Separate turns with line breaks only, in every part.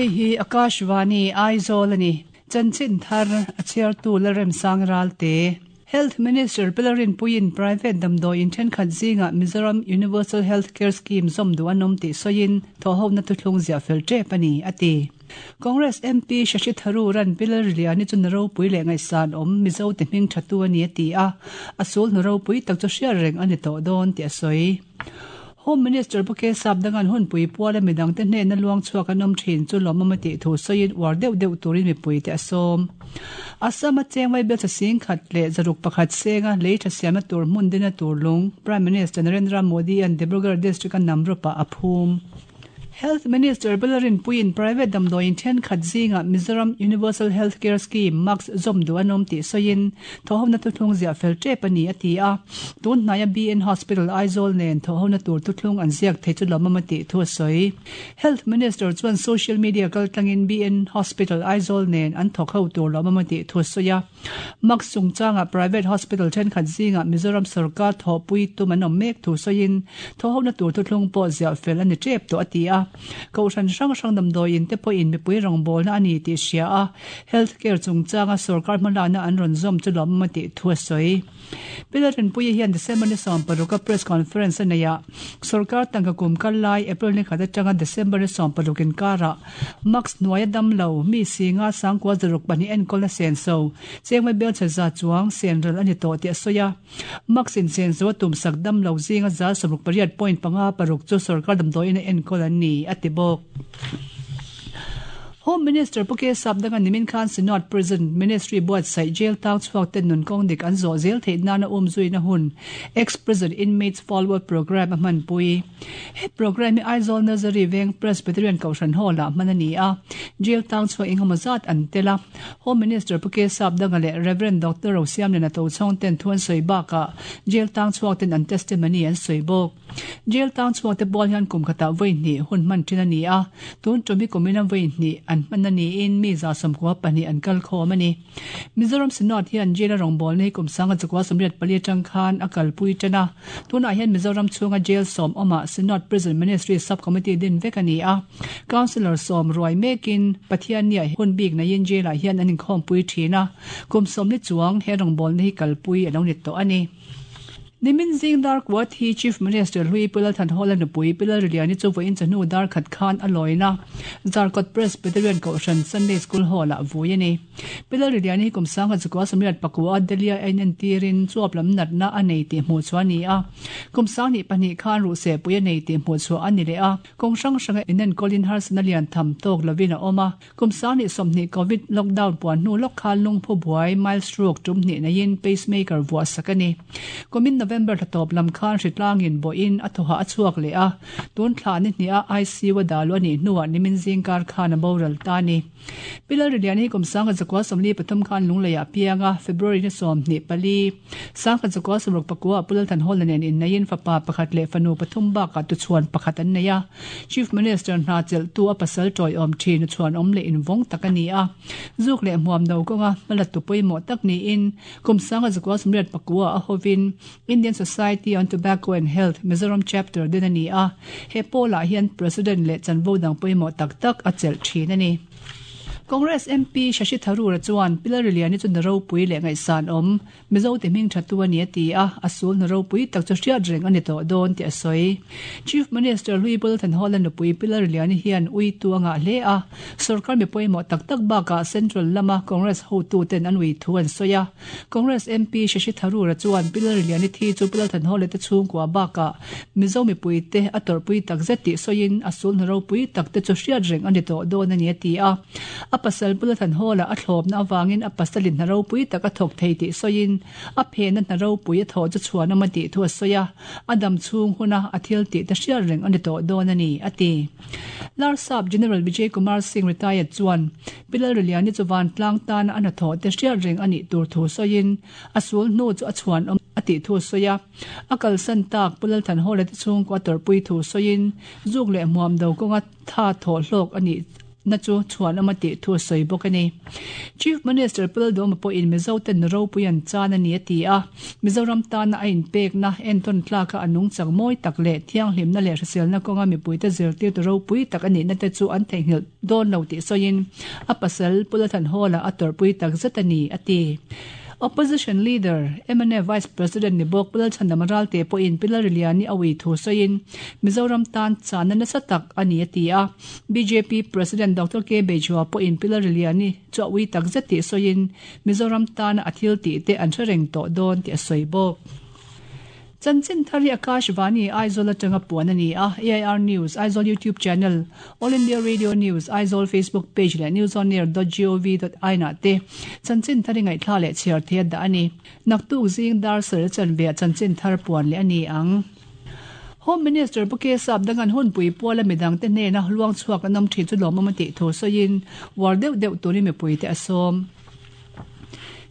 Hei hi Akashvani Aizawl a ni. Chanchin thar a chhiartu Lalremsang Ralte. Health Minister Pi Lalrinpuiin private damdawiin thenkhat zingah Mizoram Universal Health Care Scheme zawm duh an awm tih sawiin thawhhona thuthlung ziah fel tep a ni, a ti. Congress MP Shashi Tharoor-a'n Pi Lalriliani chu na ropui leh ngaihsan awm Mizo te hming thatu a ni a ti a, a sul hnu ropui tak chu hriat reng a ni tawh dawn tih a sawi. Home Minister Pu Kesap Dangan hunpui puala midangte hnena luang chhuak an awm thin chu lawmawm a tih thu sawiin uar deuh deuh turin mipuite a sawm. Assam-a cheng vaibelchhe sing khat leh zaruk pakhat senga lei tha siamna tur hmun dina tur lung Prime Minister Narendra Modi-a'n Dibrugarh District-a Namrup-ah a phum. Health Minister Bela Rinpuiin private damdawiin thenkhat zingah Mizoram Universal Health Care Scheme, MACS, zawm duh an awm tih sawiin thawhhona thuthlung ziah fel tep a ni a ti a. Tun hnaia BN Hospital Aizawl nen thawhhona tur thuthlung an ziak thei chu lawmawm a tih thu a sawi. Health Minister chuan social media kaltlangin BN Hospital Aizawl nen an thawk ho tur lawmawm a tih thu a sawi a. Mask chungchangah private hospital thenkhat zingah Mizoram sorkar thawhpui tum an awm mek thu sawiin thawhhona tur thuthlung pawh ziah fel a ni tep tawh a ti a. Kohhran hrang hrang damdawiin te pawhin mipui rawngbawlna a ni tih hria a, health care chungchanga sorkar hmalakna an rawn zawm chu lawmawm a tih thu a sawi. Pi Lalrinpuia hian December ni 16 a press conference a nei a, sorkar tangka kum kal lai April ni khat atanga December ni 16 inkarah Mask hnuaia dam lo, mi singa sangkua zaruk pahnih enkawlna senso, chengmai belchhe za chuang sen ral a ni tawh tih a sawi a. Mask insenso a tumsak dam lo zinga za 68 point panga paruk chu sorkar damdawiin a enkawl an ni, a ti bawk. Home Minister Pu K Sapdanga nimin khan Synod Prison Ministry buatsaih jail tang chhuak ten nun kawng dik an zawh zel theih nana umzuina hun Ex-Prison Inmates Follow-up Programme a hmanpui. He programme hi Aizawl Nursery Veng Presbyterian Kohhran Hall-ah hman a ni a, jail tang chhuak engemaw zat an tel a. Home Minister Pu K Sapdanga leh Rev. Doctor Rosiamliana Tochhawng ten thu an sawi bakah jail tang chhuak ten an testimony an sawi bawk. Jail tang chhuak te bual hian kum khatah vawi hnih hun hman thin a ni a, tun tum hi kumina vawi hnih an hman a niin mi 92 an kal khawm a ni. Mizoram Synod hian jail a rawngbawlna hi kum sanga chakua 84 atang khan a kalpui tan a, tunah hian Mizoram chhunga jail sawm awmah Synod Prison Ministry Sub-Committee din vek a ni a, Councillor sawm ruai mekin Pathianniah hun bik neiin jail-ah hian an inkhawmpui thin a, kum sawmli chuang he rawngbawlna hi kalpui a lo ni tawh a ni. Nimin zing dar kuat hi Chief Minister hlui Pu Lalthanhawla nupui Pi Lalriliani chu vawiin chawhnu dar khat khan a lawina Zarkawt Presbyterian Kohhran Sunday School Hall-ah vui a ni. Pi Lalriliani hi kum sangha chukua sawmriat pakua Delhi-a a inentirin chuap lam natna a nei tih hmuh chhuah a ni a. Kum sanghnih pahnih khan ruhsehpui a nei tih hmuh chhuah a ni leh a. Kawng hrang hranga inenkawlin harsatna lian tham tawk lovin a awm a. Kum sanghnih 20 Covid lockdown puan hnu lawk khan lungphu buai, mild stroke, tum hnih neiin pacemaker vuah sak a ni. Kumin November thla tawp lam khan hritlangin bawhin a thawhah a chhuak leh a, tun thla ni hniha ICU a dah luh a nih hnuah nimin zingkar khan a boral ta a ni. Pi Lalriliani hi kum sangkhat zakua 43 khan Lungleiah a piang a, February ni 24, sangkhat zakua 64 ah Pu Lalthanhawla nen inneiin fapa pakhat leh fanu pathum bakah tuchhuan pakhat an nei a. Chief Minister hna chelhtu a pasal tawiawm thin a chhuanawm leh invawng tak a ni a. Zuk leh hmuam no kawnga hmalattu pawimawh tak niin kum sanga zakua 84 a hovin Indian Society on Tobacco and Health Mizoram Chapter din a ni a. He pawlah hian President leh chanvo dang pawimawh tak tak a chelh thin a ni. Congress MP Shashi Tharoor-a chuan Pi Lalriliani chu na ropui leh ngaihsan awm Mizo te hming tha tu a ni a ti a, a sul hna ropui tak chu hriat reng a ni tawh dawn tih a sawi. Chief Minister Hlui Bulthanhawla nupui Pi Lalriliani hian ui tu a ngah hle a, sorkar mi pawimawh tak tak bakah Central lama Congress hotuten an ui thu an sawi a. Congress MP Shashi Tharoor-a chuan Pi Lalriliani thi chu Pi Lalthanhawla te chhungkua bakah Mizo mipuite a tawrhpui tak zet tih sawiin a sul hna ropui tak te chu hriat reng a ni tawh dawn a ni a ti a. A pasal bula Thanhawla a thlawpna avangin a pasalin hna ropui tak a thawk thei tih sawiin a phena hna ropui a thawh chu chhuanawm a tih thu a sawi a, a dam chhung huna a thil tih te hriat reng a ni tawh dawn a ni, a ti. Larsap General Vijay Kumar Singh retired chuan Pi Lalriliani chu vantlang tana a hnathawh te hriat reng a nih tur thu sawiin a sul hnu chu a chhuanawm a tih thu a sawi a. A kalsan tak Pu Lalthanhawla te chhungkaw a tawrhpui thu sawiin zuk leh hmuam do kawnga tha thawh hlawk a nih. na chu chhuanawm a tih thu a sawi bawk a ni. Chief Minister Pu Lalduhoma pawhin Mizo ten nu ropui an chan a ni a ti a, Mizoram tana a inpekna entawn tlaka a nungchang mawi tak leh thianghlimna leh hriselna kawnga mipuite zirtirtu ropui tak a nihna te chu an theihnghilh dawn lo tih sawiin a pasal Pu Lalthanhawla a tawrhpui tak zet a ni a ti. Opposition Leader, mnf Vice President ni bawk Pu Lalchhandama Ralte pawhin Pi Lalriliani a ui thu sawiin Mizoram tan channa nasa tak a ni a ti a. Bjp President Doctor K Bejua pawhin Pi Lalriliani chu a ui tak zet tih sawiin Mizoram tana a thil tih te an hre reng tawh dawn tih a sawi bawk. Chanchin thar hi Akashvani, Aizawl atanga puan a ni a, AIR News, Aizawl YouTube Channel, All India Radio News, Aizawl Facebook Page leh newsonair dot gov dot in ah te chanchin thar i ngaihthla leh chhiar thei a dah a ni. Naktuk zing dar sarih a chanve ah chanchin thar puan leh a ni ang. Home Minister Pu K Sapdangan hunpui puala midangte hnena luang chhuak an awm thin chu lawmawm a tih thu sawiin uar deuh deuh turin mipuite a sawm.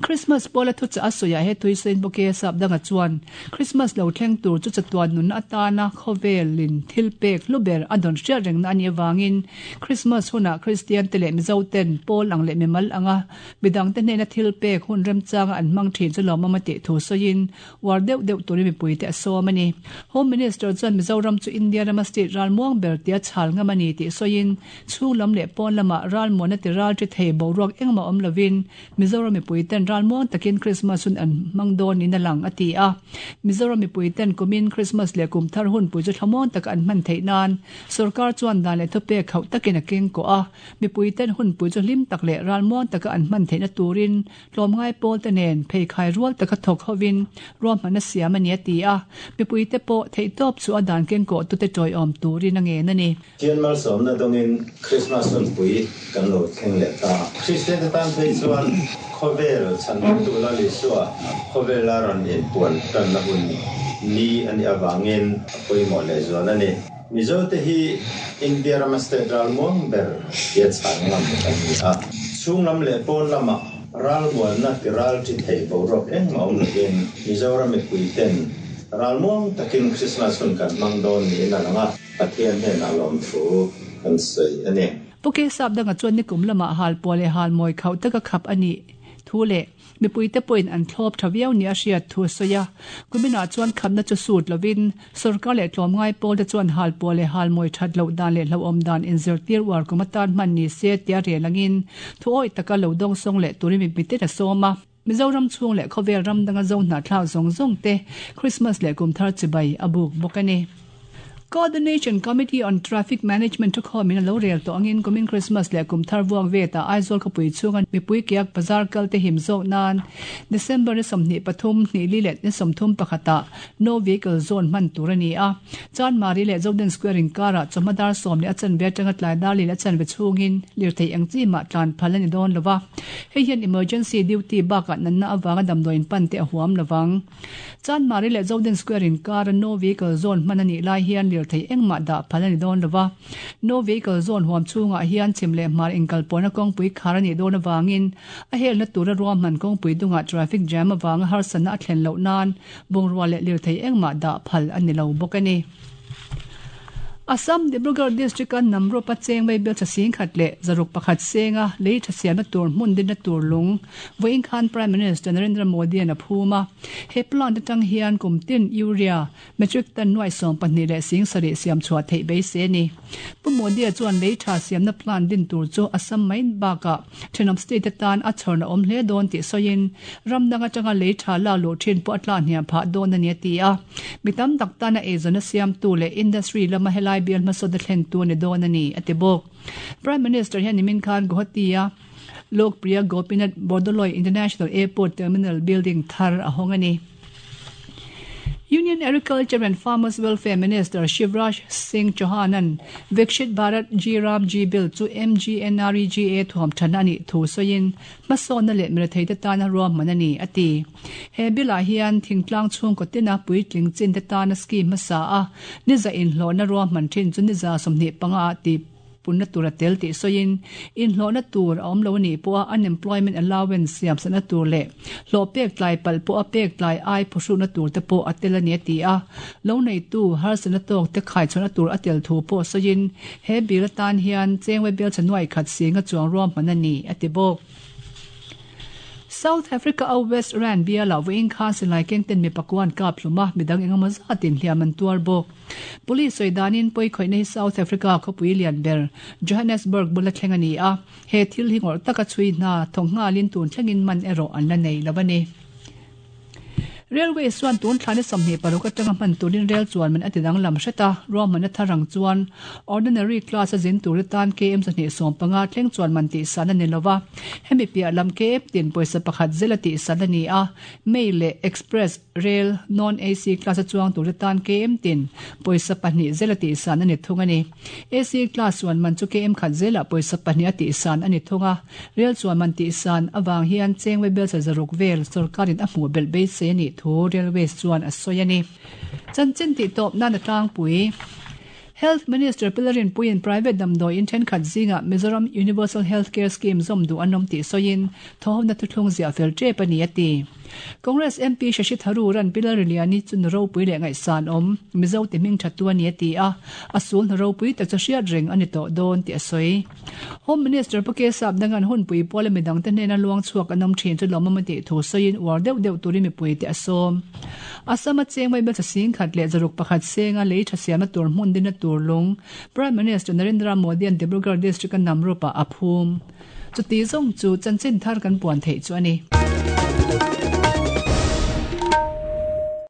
Christmas pawla thuchah a sawiah he Tuisain Pu K Sapdanga chuan Christmas lo thleng tur chu chatuan nunna atana khawvelin thil pek hlu ber a dawn hriat rengna a nih avangin Christmas hunah Kristian te leh Mizo ten pawl ang leh mimal anga midangte hnena thil pek hun remchanga an hmang thin chu lawmawm a tih thu sawiin Uar deuh deuh turin mipuite a sawm a ni. Home Minister chuan Mizoram chu India rama state ralmuang ber tia chhal ngam a ni tih sawiin, chhung lam leh pawn lamah ralmuanna ti ral ṭi thei boruak engmah awm lovin Mizoram mipuiten ralmuang takin Krismas hun an hmang dawn niin a lang, a ti a. Mizoram mipuiten kumin Krismas leh kum thar hunpui chu thlamuang taka an hman theih nan sorkar chuan dan leh thupek khauh takin a keng kawh a, mipuiten hunpui chu hlim tak leh ralmuang taka an hman theihna turin Tlawmngai pawlte nen pheikhai rual taka thawk hovin ruahmanna siam a ni a ti a, mipuite pawh theihtawp chu a dan kengkawhtute tawiawm turin a ngen a ni.
Thian malsawmna dawngin Krismas hunpui kan lo thleng leh ta. Kristiante tan phei chuan khawvel chhanhimtu Lal Isua khawvela rawn inpuan tanna hun ni a nih avangin a pawimawh lehzual a ni. Mizote hi India rama state ralmuang ber tia chhan ngam kan ni a. Chhung lam leh pawn lamah ralmuanna ti ral ṭi thei boruak engmah awm lovin Mizoram mipuiten ralmuang takin Krismas hun kan hmang dawn niin a lang a, Pathian hnenah lawmthu kan sawi a ni.
Pu Kesap danga chuan nikum lamah halpuah leh halmawi khauh taka khap a nih thu leh Mipuite pawhin an thlawp tha viau nia hriat thu a sawi a. Kuminah chuan khamna chu sut lovin sorkar leh tlawmngai pawlte chuan halpuah leh halmawi that loh dan leh hlauhawm dan inzirtir uar kum atan hman ni se tia rel angin thu awih taka lo dawngsawng leh turin mipuiten a sawm a. Mizoram chhung leh khawvel ram danga zo hnahthlak zawng zawng te Christmas leh kumthar chibai a buk bawk a ni. Coordination Committee on Traffic Management thukhawmin a lo rel tawh angin kumin Christmas leh kum thar vuak vetah Aizawl khawpui chhunga mipui kiak bazar kal te him zawk nan December ni 23, hnih li leh ni 31 ah No Vehicle Zone hman tur a ni a. Chanmari leh Zoden Square inkarah chawhma dar sawm leh a chanve atanga tlai dar li leh a chanve chhungin lirthei eng chi mah tlan phal a ni dawn lo va. Hei hian emergency duty bakah natna avanga damdawi inpan te a huam lo vang. Chanmari leh Zoden Square inkara No Vehicle Zone hman a nih lai hian lirthei engmah dah phal a ni dawn lo va. No Vehicle Zone huam chhungah hian chhim leh hmar inkalpawhna kawngpui khar a nih dawn avangin a helna tura ruahman kawngpui dungah traffic jam avanga harsatna a thlen loh nan bungrua leh lirthei engmah dah phal a ni lo bawk a ni. Assam Dibrugarh District-a Namrup-a cheng vaibel tha singkhat leh zaruk pakhat senga lei tha siamna tur hmun dinna tur lung vawiin khan Prime Minister Narendra Modi-a'n a phum a. He plant atang hian kum tin urea metric ton nuai 12 leh sing sarih siam chhuah theih beisei a ni. Pu Modi-a chuan lei tha siamna plant din tur chu Assam mai bakah thenawm state atan a chhawrna awm hle dawn tih sawiin ram dang atanga lei tha lak luh thin pawh a tla hniam phah dawn a ni a ti a. Mi tam tak tana eizawnna siamtu leh industry lama helai bial hmasawnna thlentu a ni dawn a ni, a ti bawk. Prime Minister hian nimin khan Guwahati-a Lokpriya Gopinath Bordoloi International Airport Terminal building thar a hawng a ni. Union Agriculture and Farmers Welfare Minister Shivraj Singh Chauhan-a'n Vikshit Bharat G Ram G Bill chu MGNREGA thuam thatna a nih thu sawiin hmasawnna leh miretheite tana ruahman a ni, a ti. He bill-ah hian thingtlang chhungkaw tina puitling chinte tana scheme hmasa a niza inhlawhna ruahman thin chu niza 25 ah ti. punna tur a tel tih sawiin, inhlawhna tur a awm lo a nih pawha unemployment allowance siamsakna tur leh hlawh pek tlai palh pawha pek tlai ai phuhrukna tur te pawh a tel a ni a ti a. Lo neitu harsatna tawk te khaichhuahna tur a tel thu pawh sawiin, he bill atan hian chengwe bel chhe nuai khat singa chuang ruahman a ni, a ti bawk. South Africa a West Rand bialah vawiin khan silai kengten mi pakuan kap hlum a, midang engemaw zatin hliam an tuar bawk. Police sawi danin pawikhawihna hi South Africa khawpui lian ber Johannesburg bula thleng a ni a, he thil hi ngawrh taka chhui hna thawk nghalin tun thlengin man erawh an la nei lo a ni. Railways chuan tun thlai ni 26 atanga hman turin rel chuan man a ti danglam hret a, ruahmanna thar ang chuan Ordinary class a zin tur atan KM 215 thleng chuan man tihsan a ni lo va, hemi piah lam KM tin pawisa pakhat zel a tihsan a ni a, Mail leh Express Rel Non AC class a chuang tur atan KM tin pawisa pahnih zel a tihsan a ni thung a ni. AC class chuan man chu KM khat zelah pawisa pahnih a tihsan a ni thung a. Rel chuan man tihsan avang hian chengwe belsa zaruk vel sorkarin a hmuh belh beisei a nih thu Railways chuan a sawi a ni. Chanchin tih tawp nan a tlangpui. Health Minister Pi Lalrinpuiin private damdawiin thenkhat zingah Mizoram Universal Health Care Scheme zawm duh an awm tih sawiin thawhawmna thuthlung ziah fel tep a ni a ti. Congress MP Shashi Tharoor-a'n Pi Lalriliani chu nu ropui leh ngaihsan awm Mizo ti hming thattu a ni a ti a, a sul hna ropui tak chu hriat reng a ni tawh dawn tih a sawi. Home Minister Pu Kesap Dangan hunpui puala midangte hnena luang chhuak an awm thin chu lawmawm a tih thu sawiin uar deuh deuh turin mipuite a sawm. Assam a cheng mai hmeltha singkhat leh zaruk pakhat senga lei tha siamna tur hmun dinna tur lung Prime Minister Narendra Modi-a'n Dibrugarh District-a Namrup-ah a phum. Chuti zawng chu chanchin thar kan puan theih chu a ni.